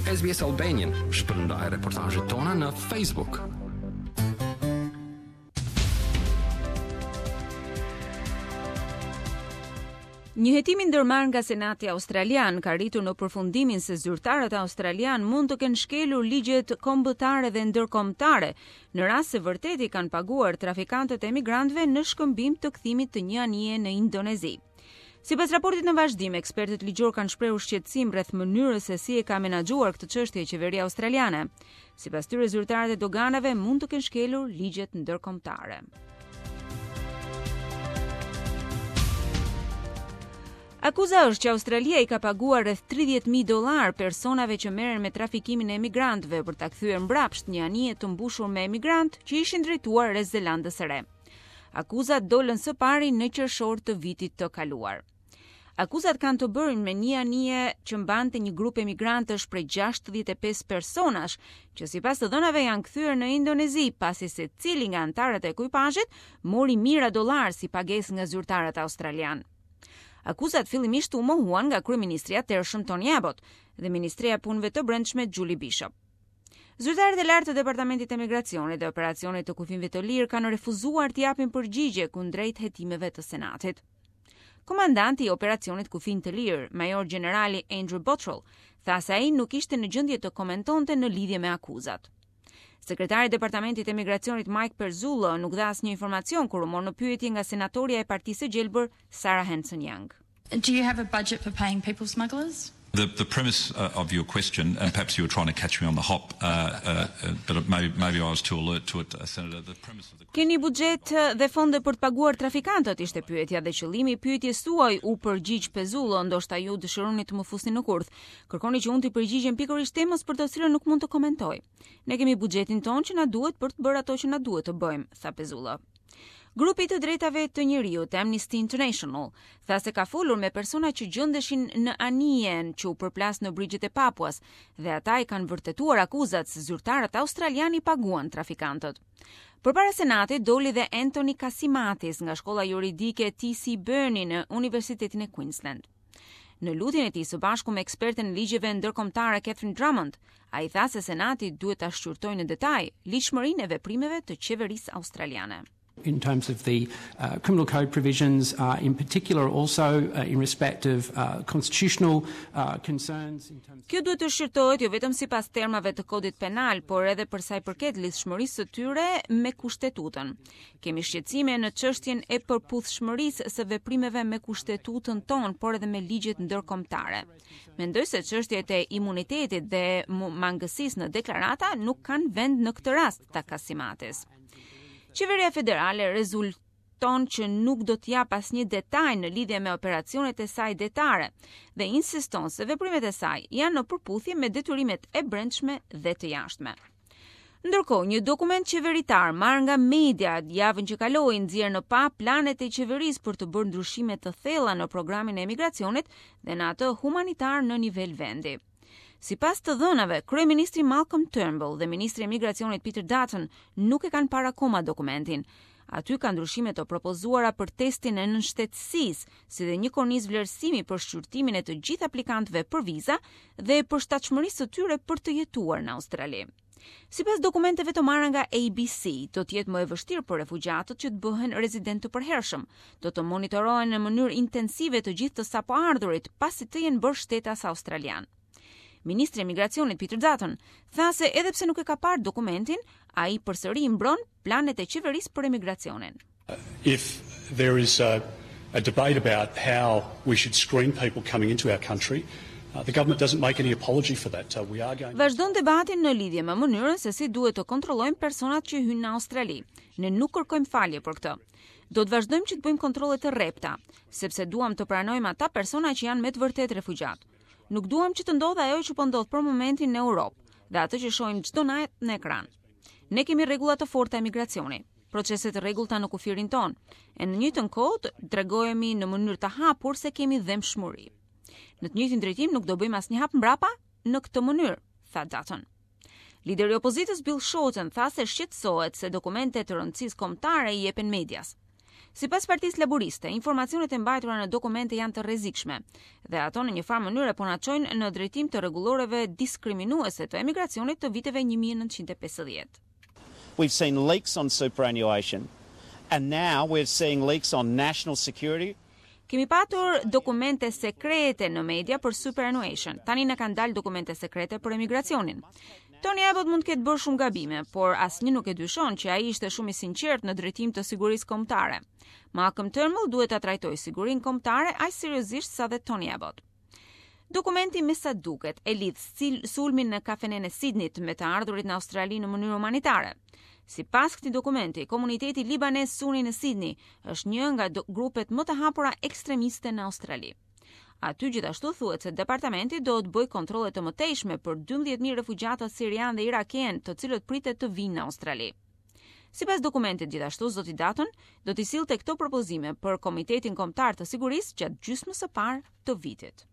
SBS Albanian. Shpërndaj reportazhet tona në Facebook. Një hetim i ndërmarrë nga Senati Australian ka arritur në përfundimin se zyrtarët australianë mund të kenë shkelur ligjet kombëtare dhe ndërkombëtare në rast se vërtet i kanë paguar trafikantët e emigrantëve në shkëmbim të kthimit të një anije në Indonezi. Sipas raportit në vazhdim, ekspertët ligjorë kanë shprehur shqetësim rreth mënyrës se si e ka menaxhuar këtë çështje qeveria australiane. Sipas tyre, zyrtarët e doganave mund të kenë shkelur ligjet ndërkombëtare. Akuza është që Australia i ka paguar rreth 30.000 dollarë personave që merren me trafikimin e emigrantëve për ta kthyer mbrapsht një anije të mbushur me emigrantë që ishin drejtuar rreth Zelandës së Re. Akuzat dolën së pari në qershor të vitit të kaluar. Akuzat kanë të bëjnë me një anije që mbante një grup emigrantësh prej 65 personash, që sipas të dhënave janë kthyer në Indonezi, pasi secili nga anëtarët e ekuipazhit mori mijëra dollarë si pagesë nga zyrtarët australianë. Akuzat fillimisht u mohuan nga kryeministri i atëhershëm Tony Abbott dhe Ministria e Punëve të Brendshme Julie Bishop. Zyrtarët e lartë të Departamentit të Emigracionit dhe Operacionit të Kufinjve të Lirë kanë refuzuar të japin përgjigje kundrejt hetimeve të Senatit. Komandanti i operacionit Kufinj të Lirë, Major Gjenerali Andrew Bottrell, tha se ai nuk ishte në gjendje të komentonte në lidhje me akuzat. Sekretari i Departamentit të Emigracionit Mike Pezzullo nuk dha asnjë informacion kur u mor në pyetje nga senatorja e Partisë së Gjelbër Sarah Hanson-Young. Do you have a budget for paying people smugglers? The, the premise uh, of your question, and perhaps you were trying to catch me on the hop, uh, uh, uh but maybe, maybe I was too alert to it, uh, Senator. The premise of the Keni buxhet dhe fonde për të paguar trafikantët, ishte pyetja dhe qëllimi i pyetjes tuaj u përgjigj Pezzullo, ndoshta ju dëshironi të më fusni në kurth. Kërkoni që unë t'i përgjigjem pikërisht temës për të cilën nuk mund të komentoj. Ne kemi buxhetin tonë që na duhet për të bërë ato që na duhet të bëjmë, tha Pezzullo. Grupi i të drejtave të njeriut Amnesty International tha se ka folur me persona që gjendeshin në anijen që u përplas në brigjet e Papuas dhe ata i kanë vërtetuar akuzat se zyrtarët australianë i paguan trafikantët. Përpara Senatit doli dhe Anthony Kasimatis nga shkolla juridike TC Beirne në Universitetin e Queensland. Në lutjen e tij së bashku me eksperten e ligjeve ndërkombëtare Catherine Drummond, ai tha se Senati duhet ta shqyrtojë në detaj ligjshmërinë e veprimeve të qeverisë australiane. In terms of the uh, criminal code provisions, uh, in particular also uh, in respect of uh, constitutional uh, concerns. In terms Kjo duhet të shqyrtohet jo vetëm sipas termave të kodit penal, por edhe për sa i përket lidhshmërisë së tyre me kushtetutën. Kemi shqetësime në çështjen e përputhshmërisë së veprimeve me kushtetutën tonë, por edhe me ligjet ndërkombëtare. Mendoj se çështjet e imunitetit dhe mangësisë në deklarata nuk kanë vend në këtë rast, tha Kasimatis. Qeveria federale rezulton që nuk do të japë asnjë detaj në lidhje me operacionet e saj detare dhe insiston se veprimet e saj janë në përputhje me detyrimet e brendshme dhe të jashtme. Ndërkohë, një dokument qeveritar marrë nga mediat javën që kaloi nxjerr në pah planet e qeverisë për të bërë ndryshime të thella në programin e emigracionit dhe në atë humanitar në nivel vendi. Sipas të dhënave, kryeministri Malcolm Turnbull dhe ministri i emigracionit Peter Dutton nuk e kanë parë akoma dokumentin. Aty ka ndryshime të propozuara për testin e nënshtetësisë, si dhe një kornizë vlerësimi për shqyrtimin e të gjithë aplikantëve për viza dhe përshtatshmërisë së tyre për të jetuar në Australi. Sipas dokumenteve të marra nga ABC, do të jetë më e vështirë për refugjatët që të bëhen rezidentë të përhershëm. Do të monitorohen në mënyrë intensive të gjithë të sapoardhurit pasi të jenë bërë shtetas australian. Ministri i Emigracionit Peter Dutton tha se edhe pse nuk e ka parë dokumentin, ai përsëri mbron planet e qeverisë për emigracionin. If there is a, a debate about how we should screen people coming into our country, uh, the government doesn't make any apology for that. Uh, we are going Vazhdon debati në lidhje me mënyrën se si duhet të kontrollojmë personat që hyjnë në Australi. Ne nuk kërkojmë falje për këtë. Do të vazhdojmë që të bëjmë kontrolle të rrepta, sepse duam të pranojmë ata persona që janë me të vërtetë refugjatë. Nuk duam që të ndodhë ajo që po ndodh për momentin në Europë dhe atë që shohim çdo natë në ekran. Ne kemi rregulla të forta emigracioni, procese të rregullta në kufirin tonë, e në njëjtën kohë të tregohemi në mënyrë të hapur se kemi dhembshmëri. Në të njëjtin drejtim nuk do bëjmë asnjë hap mbrapa në këtë mënyrë, tha Dutton. Lideri i opozitës Bill Shorten tha se shqetësohet se dokumente të rëndësisë kombëtare i jepen medias. Sipas Partisë Laburiste, informacionet e mbajtura në dokumente janë të rrezikshme dhe ato në një farë mënyre po na çojnë në drejtim të rregulloreve diskriminuese të emigracionit të viteve 1950. We've seen leaks on superannuation and now we're seeing leaks on national security. Kemi patur dokumente sekrete në media për superannuation. Tani na kanë dalë dokumente sekrete për emigracionin. Tony Abbott mund të ketë bërë shumë gabime, por asnjë nuk e dyshon që ai ishte shumë i sinqertë në drejtim të sigurisë kombëtare. Malcolm Turnbull duhet ta trajtojë sigurinë kombëtare aq seriozisht sa dhe Tony Abbott. Dokumenti me sa duket e lidh sulmin në kafenenë e Sidnit me të ardhurit në Australi në mënyrë humanitare. Sipas këtij dokumenti, komuniteti libanez Suni në Sidni është një nga grupet më të hapura ekstremiste në Australi. Aty gjithashtu thuhet se departamenti do të bëjë kontrolle të mëtejshme për 12.000 refugjatët sirianë dhe irakenë, të cilët pritet të vinë në Australi. Sipas dokumentit gjithashtu, zoti Dutton do t'i sillte këto propozime për Komitetin Kombëtar të Sigurisë gjatë gjysmës së parë të vitit.